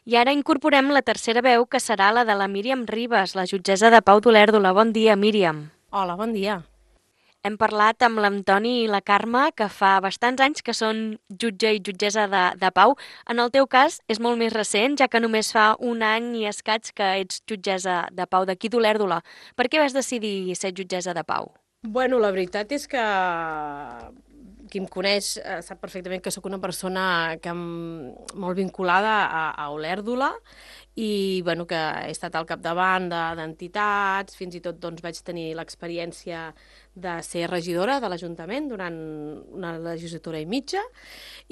I ara incorporem la tercera veu, que serà la de la Míriam Ribas, la jutgessa de Pau d'Olèrdola. Bon dia, Míriam. Hola, bon dia. Hem parlat amb l'Antoni i la Carme, que fa bastants anys que són jutge i jutgessa de Pau. En el teu cas és molt més recent, ja que només fa un any i escaig que ets jutgessa de Pau d'aquí d'Olèrdola. Per què vas decidir ser jutgessa de Pau? Bueno, la veritat és que qui em coneix sap perfectament que sóc una persona molt vinculada a Olèrdola i bueno, que he estat al capdavant d'entitats, fins i tot doncs, vaig tenir l'experiència de ser regidora de l'Ajuntament durant una legislatura i mitja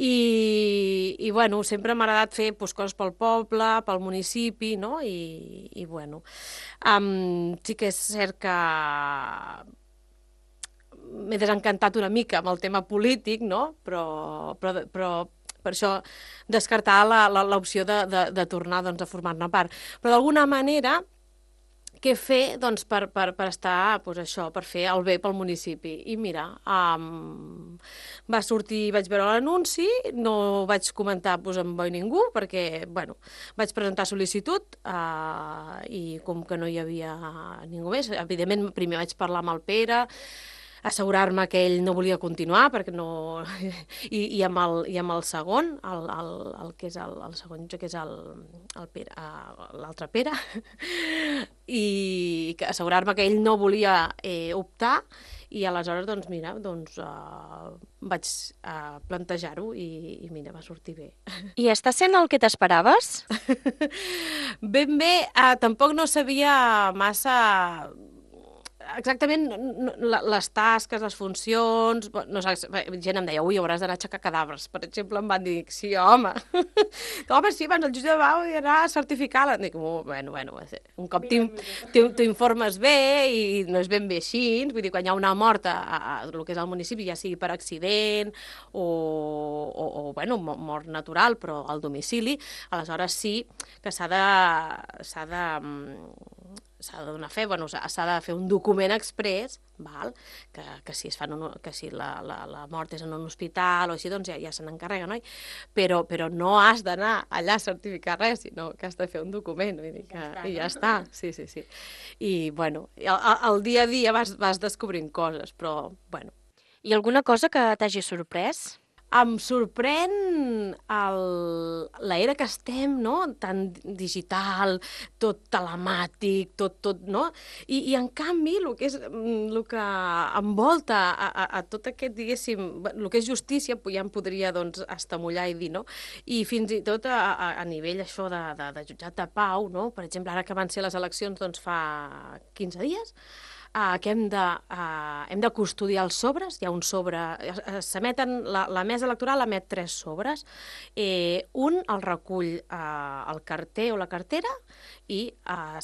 i bueno, sempre m'ha agradat fer doncs, coses pel poble, pel municipi, no? I bueno, sí que és cert que m'he desencantat una mica amb el tema polític, no? Però per això descartar l'opció de tornar doncs, a formar-ne part. Però d'alguna manera, què fer doncs, per estar, doncs, això, per fer el bé pel municipi? I mira, va sortir, vaig veure l'anunci, no vaig comentar doncs, amb boi ningú, perquè bueno, vaig presentar sol·licitud i com que no hi havia ningú més, evidentment primer vaig parlar amb el Pere, assegurar-me que ell no volia continuar perquè no... I amb el segon, el que és el segon, que és el Pere, l'altre Pere, i assegurar-me que ell no volia optar i aleshores, doncs, mira, doncs, vaig plantejar-ho i mira, va sortir bé. I està sent el que t'esperaves? Ben bé, tampoc no sabia massa exactament les tasques, les funcions... No sé, gent em deia, ui, hauràs d'anar a aixecar cadàvers. Per exemple, em van dir, sí, home. Home, sí, abans el jutge de Pau i anar a certificar-la. Dic, bueno, un cop t'informes bé i no és ben bé així. Vull dir, quan hi ha una mort a el que és el municipi, ja sigui per accident o bueno, mort natural, però al domicili, aleshores sí que s'ha de donar fe, bueno, s'ha de fer un document express, val? Que si, que si la mort és en un hospital o així, doncs ja se n'encarrega, no? Però no has d'anar allà a certificar res, sinó que has de fer un document, vull dir que, i ja està, sí, sí, sí. I, bueno, el dia a dia vas descobrint coses, però, bueno. I alguna cosa que t'hagi sorprès? Em sorprèn l'era que estem, no? Tan digital, tot telemàtic, tot, no? I en canvi, el que envolta a tot aquest, diguéssim, el que és justícia, ja em podria, doncs, estamullar i dir, no? I fins i tot a nivell això de jutjat de pau, no? Per exemple, ara que van ser les eleccions, doncs, fa 15 dies, que hem de custodiar els sobres. Hi ha un sobre... S'emeten, la mesa electoral emet 3 sobres. Un el recull el carter o la cartera i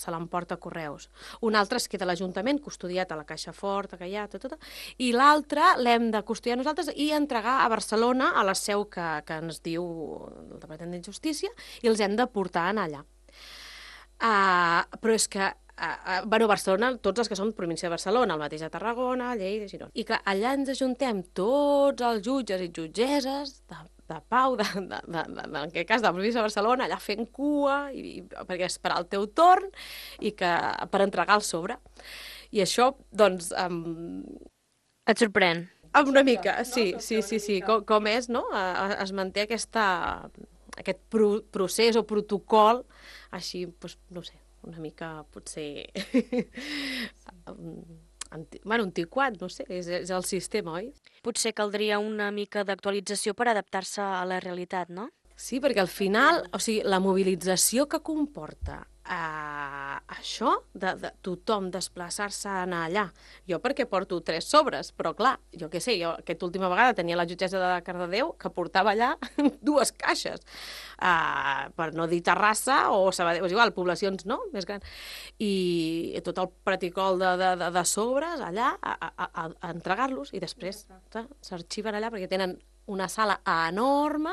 se l'emporta a correus. Un altre es queda a l'Ajuntament, custodiat a la caixa forta, que hi ha, tot. I l'altre l'hem de custodiar nosaltres i entregar a Barcelona, a la seu que ens diu el Departament de Justícia, i els hem de portar allà. Però és que bueno, Barcelona, tots els que som província de Barcelona, el mateix de Tarragona, Lleida, Girona. I clar, allà ens ajuntem tots els jutges i jutgesses de pau, en aquest cas de la província de Barcelona, allà fent cua, perquè esperar el teu torn i per entregar el sobre. I això, doncs... Et sorprèn? Una mica, sí, sí, sí, sí. Com és, no? Es manté aquest procés o protocol així, doncs, no sé, una mica potser antiquat, no sé, és el sistema, oi? Potser caldria una mica d'actualització per adaptar-se a la realitat, no? Sí, perquè al final, o sigui, la mobilització que comporta això, de tothom desplaçar-se a anar allà. Jo perquè porto 3 sobres, però clar, jo què sé, jo aquesta última vegada tenia la jutgessa de Cardedeu que portava allà 2 caixes, per no dir Terrassa o Sabadell, és igual, poblacions no, més grans. I tot el protocol de sobres allà a entregar-los i després s'arxiven allà perquè tenen una sala enorme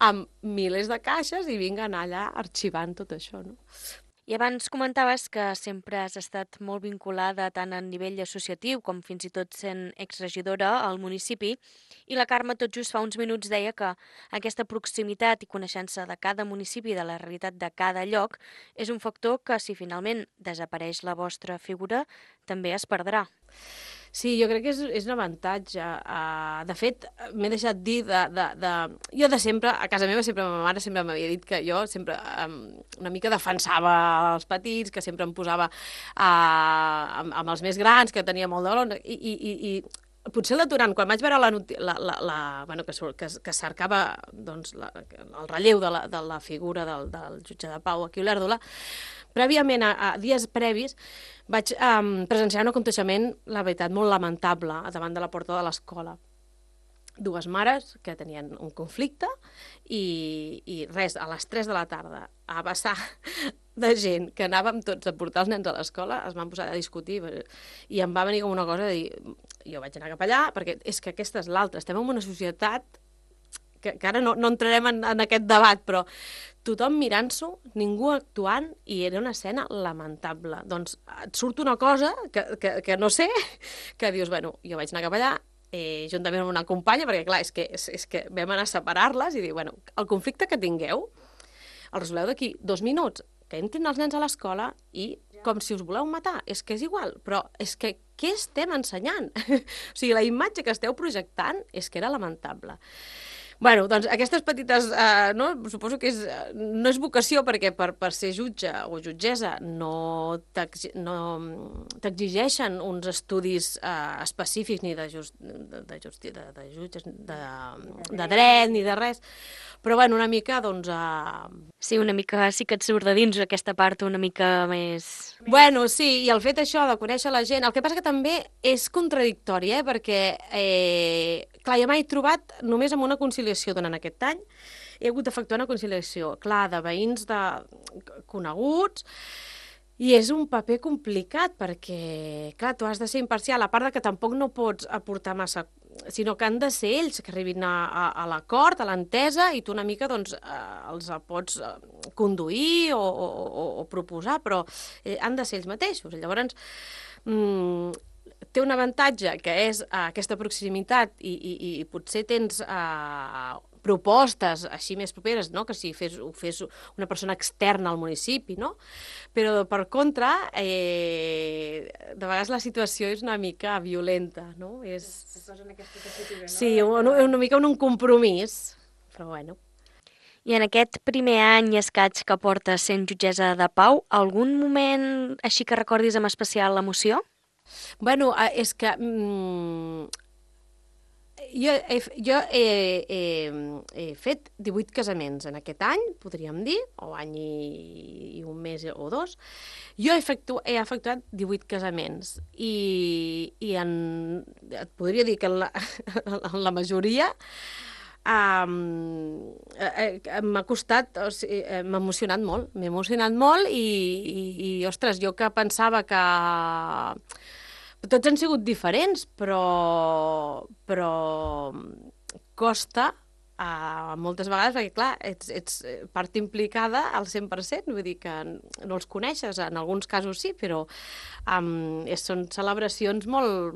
amb milers de caixes i vinguen allà arxivant tot això, no? I abans comentaves que sempre has estat molt vinculada tant a nivell associatiu com fins i tot sent exregidora al municipi, i la Carme tot just fa uns minuts deia que aquesta proximitat i coneixença de cada municipi i de la realitat de cada lloc és un factor que, si finalment desapareix la vostra figura, també es perdrà. Sí, jo crec que és un avantatge. De fet, m'he deixat dir Jo de sempre, a casa meva, sempre ma mare sempre m'havia dit que jo sempre una mica defensava els petits, que sempre em posava amb els més grans, que tenia molt de valor, i potser el detonant, quan vaig veure bueno, que cercava doncs, el relleu de la figura del jutge de pau aquí a Olèrdola, prèviament, a dies previs, vaig presenciar un aconteixement, la veritat, molt lamentable davant de la porta de l'escola. Dues mares que tenien un conflicte i res, a les 3 de la tarda, a vessar de gent que anàvem tots a portar els nens a l'escola, es van posar a discutir i em va venir com una cosa de dir, jo vaig anar cap allà, perquè és que aquesta és l'altra, estem en una societat que ara no entrarem en aquest debat, però tothom mirant-s'ho, ningú actuant, i era una escena lamentable. Doncs et surt una cosa que no sé, que dius, bueno, jo vaig anar cap allà, juntament amb una companya, perquè clar, és que vam anar a separar-les i dir, bueno, el conflicte que tingueu, el resoleu d'aquí 2 minuts, que entrin els nens a l'escola i com si us voleu matar, és que és igual, però és que què estem ensenyant? O sigui, la imatge que esteu projectant és que era lamentable. Bueno, doncs aquestes petites, suposo que no és vocació, perquè per ser jutge o jutgessa no t'exigeixen uns estudis específics ni de jutges, de dret, ni de res, però bueno, una mica, doncs... Sí, una mica sí que et surt de dins aquesta part una mica més... Bueno, sí, i el fet això de conèixer la gent, el que passa que també és contradictori, perquè, clar, jo m'he trobat només amb una conciliació durant aquest any, he hagut d'efectuar una conciliació, clar, de veïns coneguts, i és un paper complicat perquè, clar, tu has de ser imparcial, a part de que tampoc no pots aportar massa, sinó que han de ser ells que arribin a l'acord, a l'entesa, i tu una mica doncs, els pots conduir o proposar, però han de ser ells mateixos. Llavors, té un avantatge, que és aquesta proximitat, i potser tens propostes així més properes, no? Que si ho fes una persona externa al municipi, no? Però per contra, de vegades la situació és una mica violenta, no? Es posa en aquesta tessitura, no? Sí, una mica un compromís, però bueno. I en aquest primer any i escaig que portes sent jutgessa de pau, algun moment així que recordis amb especial emoció? Bueno, és que jo he fet 18 casaments en aquest any, podríem dir, o any i un mes o 2. Jo he efectuat 18 casaments i et podria dir que en la majoria m'ha costat, o sigui, m'ha emocionat molt i ostres, jo que pensava que tots han sigut diferents, però costa moltes vegades, perquè clar, ets part implicada al 100%, vull dir que no els coneixes, en alguns casos sí, però són celebracions molt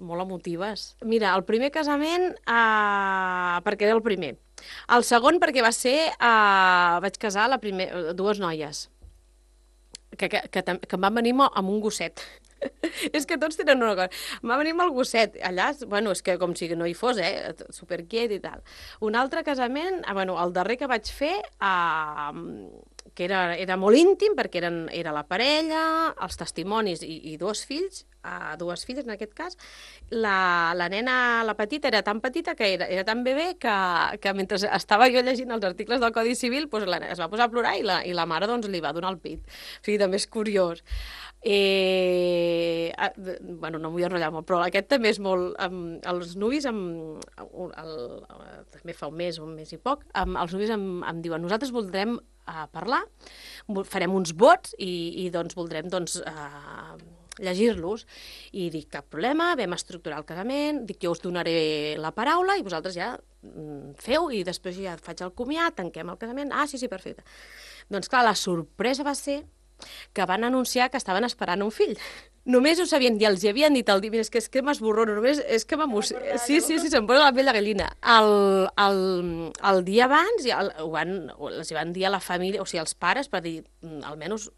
emotives. Mira, el primer casament, perquè era el primer. El segon perquè va ser, vaig casar dues noies, que em van venir amb un gosset. És que tots tenen una cosa. Em va venir amb el gosset. Allà, bueno, és que com si no hi fos, superquiet i tal. Un altre casament, bueno, el darrer que vaig fer, que era molt íntim, perquè era la parella, els testimonis i dues filles en aquest cas. La nena, la petita, era tan petita que era tan bebè que mentre estava jo llegint els articles del Codi Civil es va posar a plorar i la mare doncs, li va donar el pit. O sigui, també és curiós. Bueno, no m'ho vull enrotllar molt, però aquest també és molt... Els nuvis, també fa un mes i poc, els nuvis em diuen, nosaltres voldrem parlar, farem uns vots i doncs voldrem llegir-los. I dic, cap problema, vam estructurar el casament, dic, jo us donaré la paraula i vosaltres ja feu i després ja faig el comiat, tanquem el casament. Ah, sí, perfecte. Doncs clar, la sorpresa va ser que van anunciar que estaven esperant un fill. Només ho sabien dir, els hi havien dit el dia, mira, és que m'esborrono, només és que m'emociona. Sí, se'm posa la pell de gallina. El dia abans els hi van dir a la família, o sigui, als pares, per dir, almenys,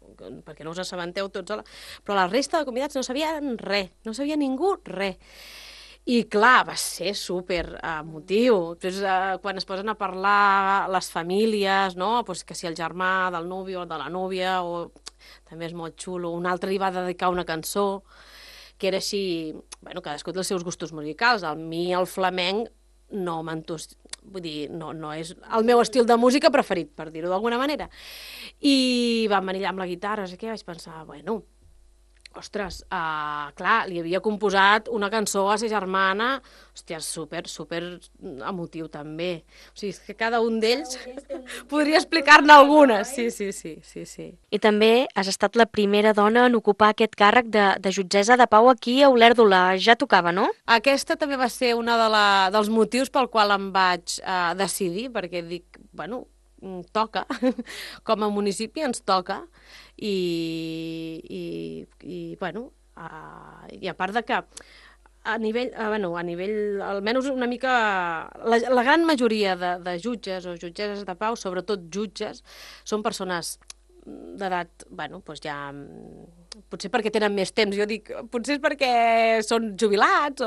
perquè no us assabenteu tots, però la resta de convidats no sabien res, no sabia ningú res. I clar, va ser super emotiu. Després, quan es posen a parlar les famílies, no? Pues que si el germà del nuvi o de la núvia, o també és molt xulo, un altre li va dedicar una cançó que era així, bueno, cadascú té els seus gustos musicals. A mi el flamenc no vull dir, no és el meu estil de música preferit, per dir-ho d'alguna manera. I van venir allà amb la guitarra, no sé què, vaig pensar, bueno, ostres, clar, li havia composat una cançó a sa germana, hòstia, super emotiu també. O sigui, és que cada un d'ells podria explicar-ne algunes. Sí. I també has estat la primera dona en ocupar aquest càrrec de jutgessa de pau aquí a Olèrdola. Ja tocava, no? Aquesta també va ser una dels motius pel qual em vaig decidir, perquè dic, bueno, toca, com a municipi ens toca, i bueno, i a part de que a nivell, almenys una mica, la gran majoria de jutges o jutgesses de pau, sobretot jutges, són persones d'edat, bueno, doncs ja, potser perquè tenen més temps, jo dic, potser és perquè són jubilats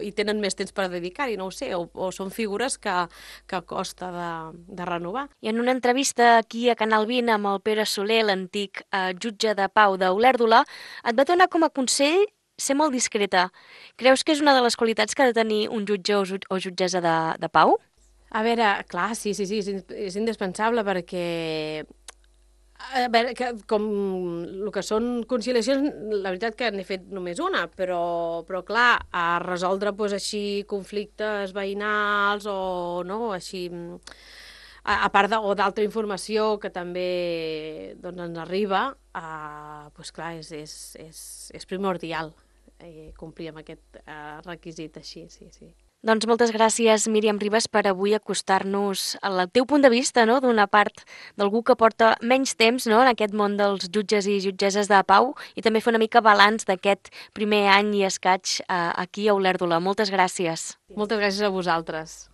i tenen més temps per dedicar-hi, no ho sé, o són figures que costa de renovar. I en una entrevista aquí a Canal 20 amb el Pere Soler, l'antic jutge de pau d'Olèrdola, et va donar com a consell ser molt discreta. Creus que és una de les qualitats que ha de tenir un jutge o jutgessa de pau? A veure, clar, sí, és indispensable perquè a veure, com el que són conciliacions, la veritat que n'he fet només una, però clar, a resoldre doncs, així conflictes veïnals o no, així, a part o d'altra informació que també doncs, ens arriba, doncs clar, és primordial complir amb aquest requisit així, sí. Doncs moltes gràcies, Míriam Ribas, per avui acostar-nos al teu punt de vista, no?, d'una part d'algú que porta menys temps, no?, en aquest món dels jutges i jutgesses de pau, i també fer una mica balanç d'aquest primer any i escaig aquí a Olèrdola. Moltes gràcies. Moltes gràcies a vosaltres.